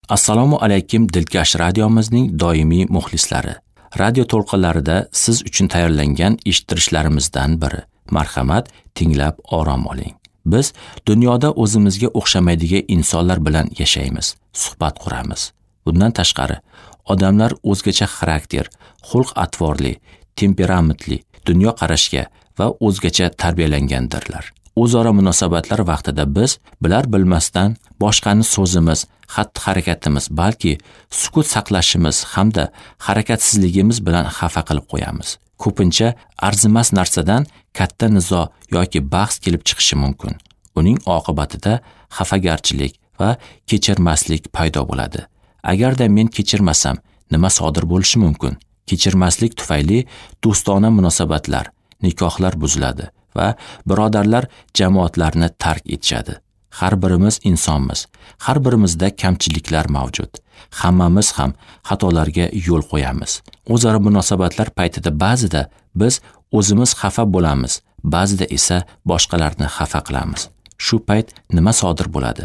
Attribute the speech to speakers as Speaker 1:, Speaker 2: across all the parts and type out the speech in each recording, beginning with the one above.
Speaker 1: Assalomu alaykum dilkash radiomizning doimiy muxlislari. Radio to'lqinlarida siz uchun tayyorlangan eshittirishlarimizdan biri. Marhamat, tinglab orom oling. Biz dunyoda o'zimizga o'xshamaydigan insonlar bilan yashaymiz, suhbat quramiz. Bundan tashqari, odamlar o'zgacha xarakter, xulq-atvorli, temperamentli, dunyoqarashga va o'zgacha tarbiyalangandirlar. O'zaro munosabatlar vaqtida biz bilar bilmasdan boshqani so'zimiz, xatti-harakatimiz, balki sukut saqlashimiz hamda harakatsizligimiz bilan xafa qilib qo'yamiz. Ko'pincha arzimas narsadan katta nizo yoki bahs kelib chiqishi mumkin. Uning oqibatida xafagarchilik va kechirmaslik paydo bo'ladi. Agarda men kechirmasam, nima sodir bo'lishi mumkin? Kechirmaslik tufayli do'stona munosabatlar, nikohlar buziladi va birodarlar jamoatlarni tark etishadi. Har birimiz insonmiz. Har birimizda kamchiliklar mavjud. Hammamiz ham xatolarga yo'l qo'yamiz. O'zaro munosabatlar paytida ba'zida biz o'zimiz xafa bo'lamiz, ba'zida esa boshqalarni xafa qilamiz. Shu payt nima sodir bo'ladi?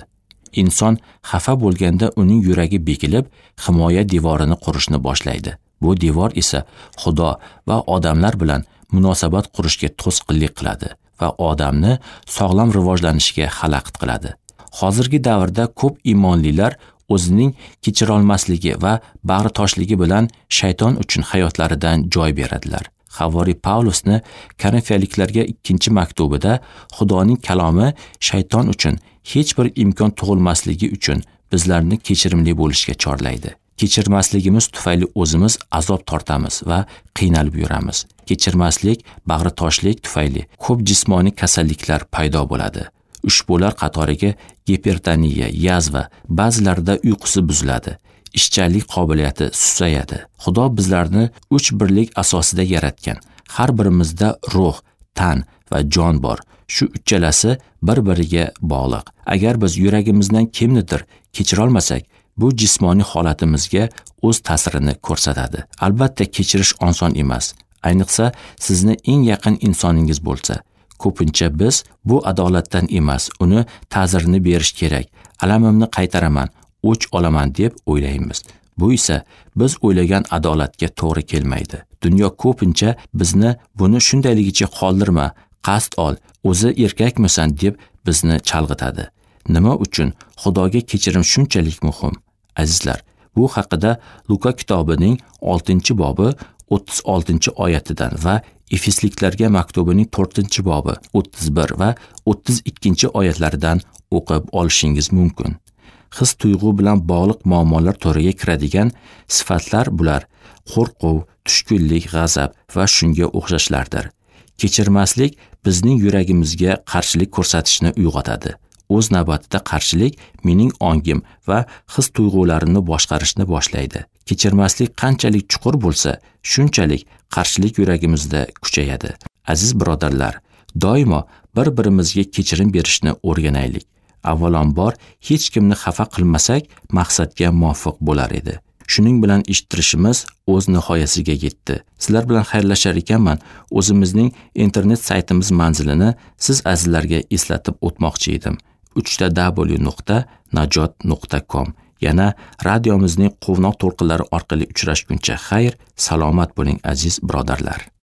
Speaker 1: Inson xafa bo'lganda uning yuragi bekilib, himoya devorini qurishni boshlaydi. Bu devor esa Xudo va odamlar bilan munosabat qurishga to'sqinlik qiladi va odamni sog'lom rivojlanishiga xalaqit qiladi. Hozirgi davrda ko'p iymonlilar o'zining kechirolmasligi va bag'ritoshligi bilan shayton uchun hayotlaridan joy beradilar. Havoriy Pavlusni Korinfiyaliklarga 2-maktubida Xudoning kalomi shayton uchun hech bir imkon tug'ilmasligi uchun bizlarni kechirimli bo'lishga chorlaydi. Kechirmasligimiz tufayli o'zimiz azob tortamiz va qiynalib yuramiz. Kechirmaslik, bag'ritoshlik tufayli ko'p jismoniy kasalliklar paydo bo'ladi. Ushbular qatoriga gipertoniya, yazva, ba'zilarida uyqusi buziladi, ishchanlik qobiliyati susayadi. Xudo bizlarni 3 birlik asosida yaratgan. Har birimizda ruh, tan va jon bor. Shu uchalasi bir-biriga bog'liq. Agar biz yuragimizdan kimnidir kechira olmasak, bu jismoniy holatimizga o'z ta'sirini ko'rsatadi. Albatta kechirish oson emas. Ayniqsa sizni eng yaqin insoningiz bo'lsa. Ko'pincha biz bu adolatdan emas, uni ta'zirini berish kerak. Alamimni qaytaraman, o'ch olaman deb o'ylaymiz. Bu esa biz o'ylagan adolatga to'g'ri kelmaydi. Dunyo ko'pincha bizni buni shundayligicha qoldirma, qasd ol, o'zi erkakmisan deb bizni chalg'itadi. Nima uchun Xudoga kechirim shunchalik muhim? Azizlar, bu haqida Luka kitobining 6-bobi 36-oyatidan va Efesliklarga maktubining 4-bobi 31 va 32-oyatlaridan o'qib olishingiz mumkin. His tuyg'u bilan bog'liq muammolar to'riga kiradigan sifatlar bular: qo'rquv, tushkunlik, g'azab va shunga o'xshashlardir. Kechirmaslik bizning yuragimizga qarshilik ko'rsatishni uyg'otadi. O'z navbatida qarshilik mening ongim va his tuyg'ularimni boshqarishni boshlaydi. Kechirmaslik qanchalik chuqur bo'lsa, shunchalik qarshilik yuragimizda kuchayadi. Aziz birodarlar, doimo bir-birimizga kechirim berishni o'rganaylik. Avvalambor hech kimni xafa qilmasak, maqsadga muvofiq bo'lar edi. Shuning bilan eshittirishimiz o'z nihoyasiga yetdi. Sizlar bilan xayrlashar ekanman, o'zimizning internet saytimiz manzilini siz azizlarga eslatib o'tmoqchi edim. www.najot.com. Yana radiomizning quvnoq to'lqinlari orqali uchrashguncha xayr, salomat bo'ling aziz birodarlar.